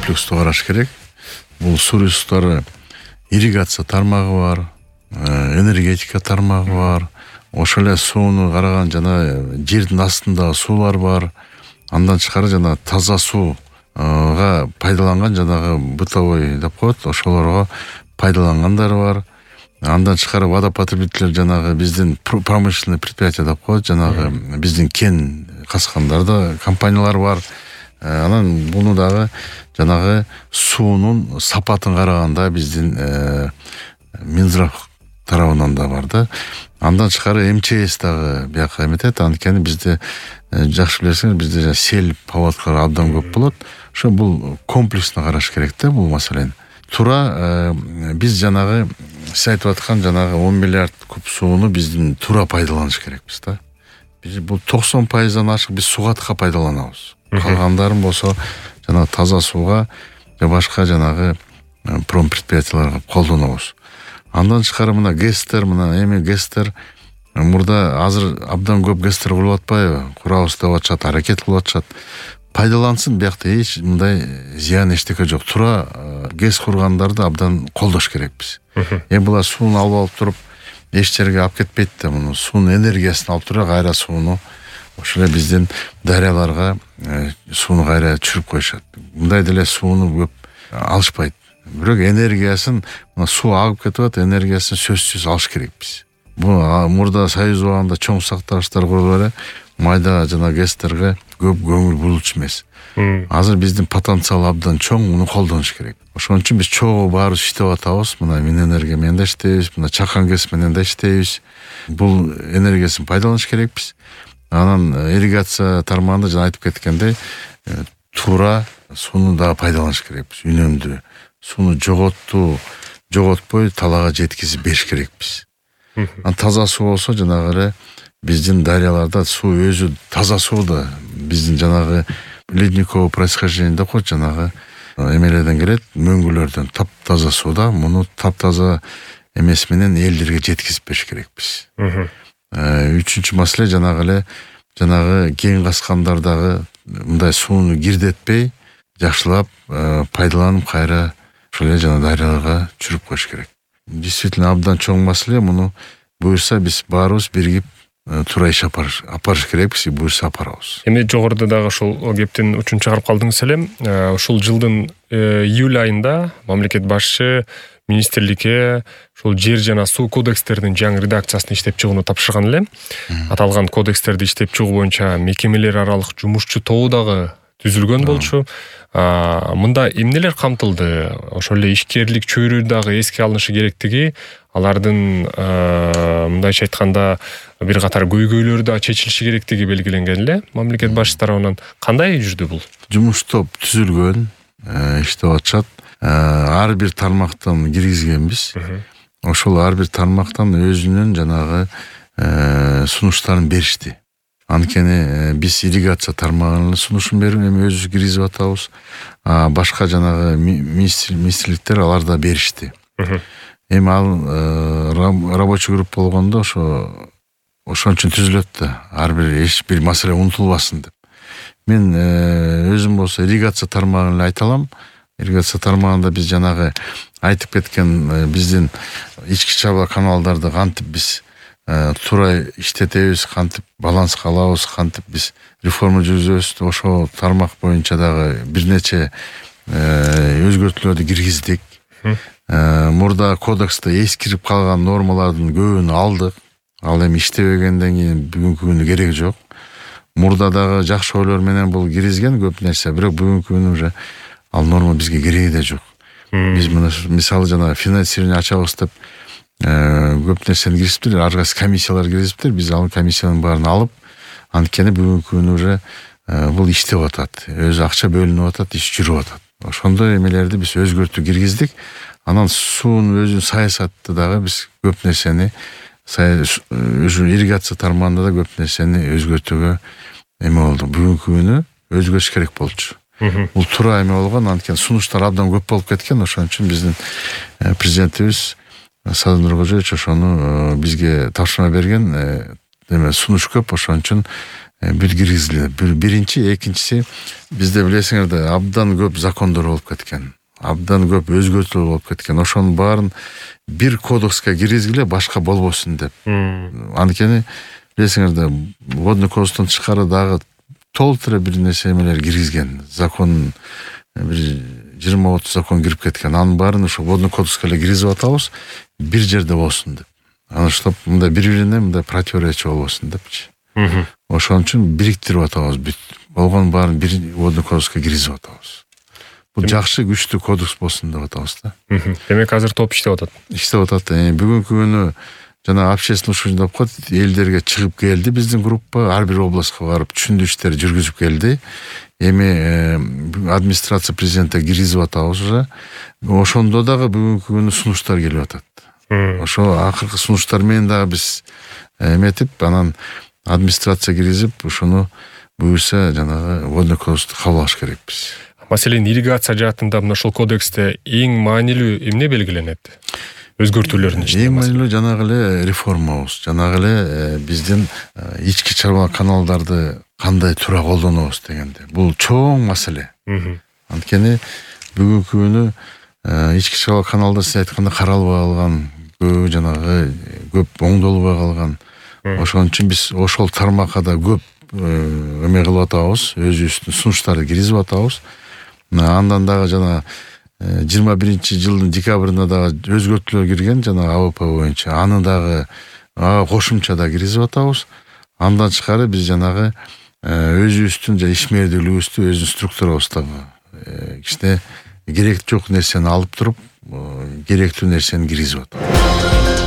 комплекстүү караш керек. Бул суу ресурстары ирригация тармагы бар, энергетика тармагы бар. Ошол эле сууну караган жана жердин астында суулар бар. Андан тышкары жана таза сууга пайдаланган жанагы бытовой деп коет, ошолорго пайдалангандар бар. Андан тышкары водопотребитель жанагы биздин промышленный предприятие деп коет, жанагы биздин кен каскандарда компаниялар бар. Анан буну дагы жанагы суунун сапатын караганда биздин Минздрав тарабынан да бар да. Андан тышкары МЧС дагы бияка эметет. Анткени бизде жакшы билесиңер, бизде сел паводкалар абдан көп болот. Ошо бул комплексно караш керек да бул маселени. Туура биз жанагы сиз айтып аткан жанагы 10 миллиард куб сууну биздин туура пайдаланыш керекпиз да. Биз бул 90%дан ашык биз сугатка пайдаланабыз. Калгандарын болсо жанагы таза сууга же башка жанагы промпредприятияларга колдонобуз. Андан тышкары мына ГЭСтер, ГЭСтер мурда азыр абдан көп ГЭСтер курулуп атпайбы? Курабыз деп атышат, аракет кылып атышат. Пайдалансын, биякта эч мындай зыян эчтеке жок. Туура ГЭС кургандарды абдан колдош керекпиз. Булар сууну алып туруп эч жерге алып кетпейт да, муну суунун энергиясын алып туруп кайра сууну ошол эле биздин дарыяларга сууну кайра түшүрүп коюшат. Мындай деле сууну көп алышпайт. Бирок энергиясын, суу агып кетип атат, энергиясын сөзсүз алыш керекпиз. Бул мурда Союз убагында чоң сактагычтар курулуп эле майда жана ГЭСтерге көп көңүл бурулчу эмес. Азыр биздин потенциал абдан чоң, муну колдонуш керек. Ошон үчүн биз чогуу баарыбыз иштеп атабыз. Мына Минэнерgia менен да иштейбиз, мына Чакан ГЭС менен да иштейбиз. Бул энергиясын пайдаланыш керекпиз. Анан ирригация тармагында жана айтып кеткендей, туура сууну да пайдаланыш керекпиз. Үнөмдүү сууну жоготпой талаага жеткизип бериш керекпиз. Таза суу болсо жанагы эле биздин дарыяларда суу өзү таза суу да биздин жанагы ледниковый происхождение деп коет, жанагы эмелерден келет, мөңгүлөрдөн таптаза суу да, муну таптаза эмес менен элдерге жеткизип бериш керекпиз. Үчүнчү маселе жанагы кен каскандардагы мындай сууну кирдетпей, жакшылап пайдаланып кайра ошол эле жана дарыяларга түшүрүп коюш керек. Действительно абдан чоң маселе, муну буюрса биз баарыбыз биригип туура иш апарыш керекпиз, буюрса апарабыз. Эми жогоруда дагы ошол кептин учун чыгарып калдыңыз эле. Ушул жылдын июль айында мамлекет башчы министрликке ошол жер жана суу кодекстердин жаңы редакциясын иштеп чыгууну тапшырган эле. Аталган кодекстерди иштеп чыгуу боюнча мекемелер аралык жумушчу тобу дагы түзүлгөн болчу. Мында эмнелер камтылды? Ошол эле ишкерлик чөйрө дагы эске алынышы керектиги, алардын мындайча айтканда бир катар көйгөйлөрү да чечилиши керектиги белгиленген эле. Мамлекет башчысы тарабынан кандай жүрдү бул? Жумуш топ түзүлгөн, иштеп атышат. Ар бир тармактан киргизгенбиз. Ошол ар бир тармактан өзүнүн жанагы сунуштарын беришти. Анткени биз ирригация тармагынын сунушун берип эми өзүбүз киргизип атабыз. Башка жанагы министрликтер алар да беришти. Эми ал рабочий группа болгондо ошон үчүн түзүлөт да, ар бир эч бир маселе унутулбасын деп. Мен өзүм болсо ирригация тармагын эле айта алам. Ирригация тармагында биз жанагы айтып кеткен биздин ички чаба каналдарды кантип биз туура иштетебиз, кантип баланска алабыз, кантип биз реформа жүргүзөбүз, ошол тармак боюнча дагы бир нече өзгөртүүлөрдү киргиздик. Мурда кодексте эскирип калган нормалардын көбүн алдык. Ал эми иштебегенден кийин бүгүнкү күнү кереги жок. Мурда дагы жакшы ойлор менен бул киргизген көп нерсе, бирок бүгүнкү күнү уже ал норма бизге кереги да жок. Биз мына мисалы жана финансирование ачабыз деп көп нерсени киргизиптир, ар кайсы комиссиялар киргизиптир. Биз ал комиссиянын баарын алып, анткени бүгүнкү күнү уже бул иштеп атат. Өзү акча бөлүнүп атат, иш жүрүп атат. Ошондой эмелерди биз өзгөртүү киргиздик. Анан суунун өзүнүн саясатты дагы биз көп нерсени ирригация тармагында да көп нерсени өзгөртүүгө эме болду. Бүгүнкү күнү өзгөрүш керек болчу. Бул туура эме болгон, анткени сунуштар абдан көп болуп кеткен. Ошон үчүн биздин президентибиз Садыр Нуркожоевич ошону бизге тапшырма берген. Сунуш көп, ошон үчүн бир киргизилди. Биринчи, экинчиси, бизде билесиңер да абдан көп закондор болуп кеткен. Абдан көп өзгөртүүлөр болуп кеткен. Ошонун баарын бир кодекске киргизгиле, башка болбосун деп. Анткени билесиңер да водный кодекстен тышкары дагы толук эле бир нерсе эмелер киргизген. Закон бир 20-30 закон кирип кеткен. Анын баарын ошо водный кодекске эле киргизип атабыз, бир жерде болсун деп. Анан чтоб мындай бири-бирине мындай противоречие болбосун депчи. Ошон үчүн бириктирип атабыз. Болгон баарын бир водный кодекске киргизип атабыз. Бул жакшы, күчтүү кодекс болсун деп атабыз да. Демек азыр топ иштеп атат. Иштеп атат. Бүгүнкү күнү жана общественный слушание деп коет, элдерге чыгып келди биздин группа, ар бир областка барып түшүндүрүү иштери жүргүзүп келди. Эми администрация президентке киргизип атабыз уже. Ошондо дагы бүгүнкү күнү сунуштар келип атат. Ошо акыркы сунуштар менен дагы биз эметип, анан администрация киргизип, ошону буюрса жанагы водный кодексти кабыл алыш керекпиз. Маселен, ирригация жаатында мына ушул кодексте эң маанилүү эмне белгиленет? Өзгөртүүлөрдүн ичинде. Эң маанилүү жанагы эле реформабыз, жанагы эле биздин ички чарба каналдарды кандай туура колдонобуз дегенде. Бул чоң маселе. Анткени бүгүнкү күнү ички чарба каналдар сиз айткандай каралбай калган, жанагы көп оңдолбой калган. Ошон үчүн биз ошол тармакка да көп эме кылып атабыз, өзүбүздүн сунуштарды киргизип атабыз. Андан дагы жана 21-жылдын декабрында дагы өзгөртүүлөр кирген жана АВП боюнча. Аны дагы кошумча да киргизип атабыз. Андан тышкары биз жанагы өзүбүздүн ишмердүүлүгүбүздү, өзүнүн структурабызды кичине кереги жок нерсени алып туруп, керектүү нерсени киргизип атабыз.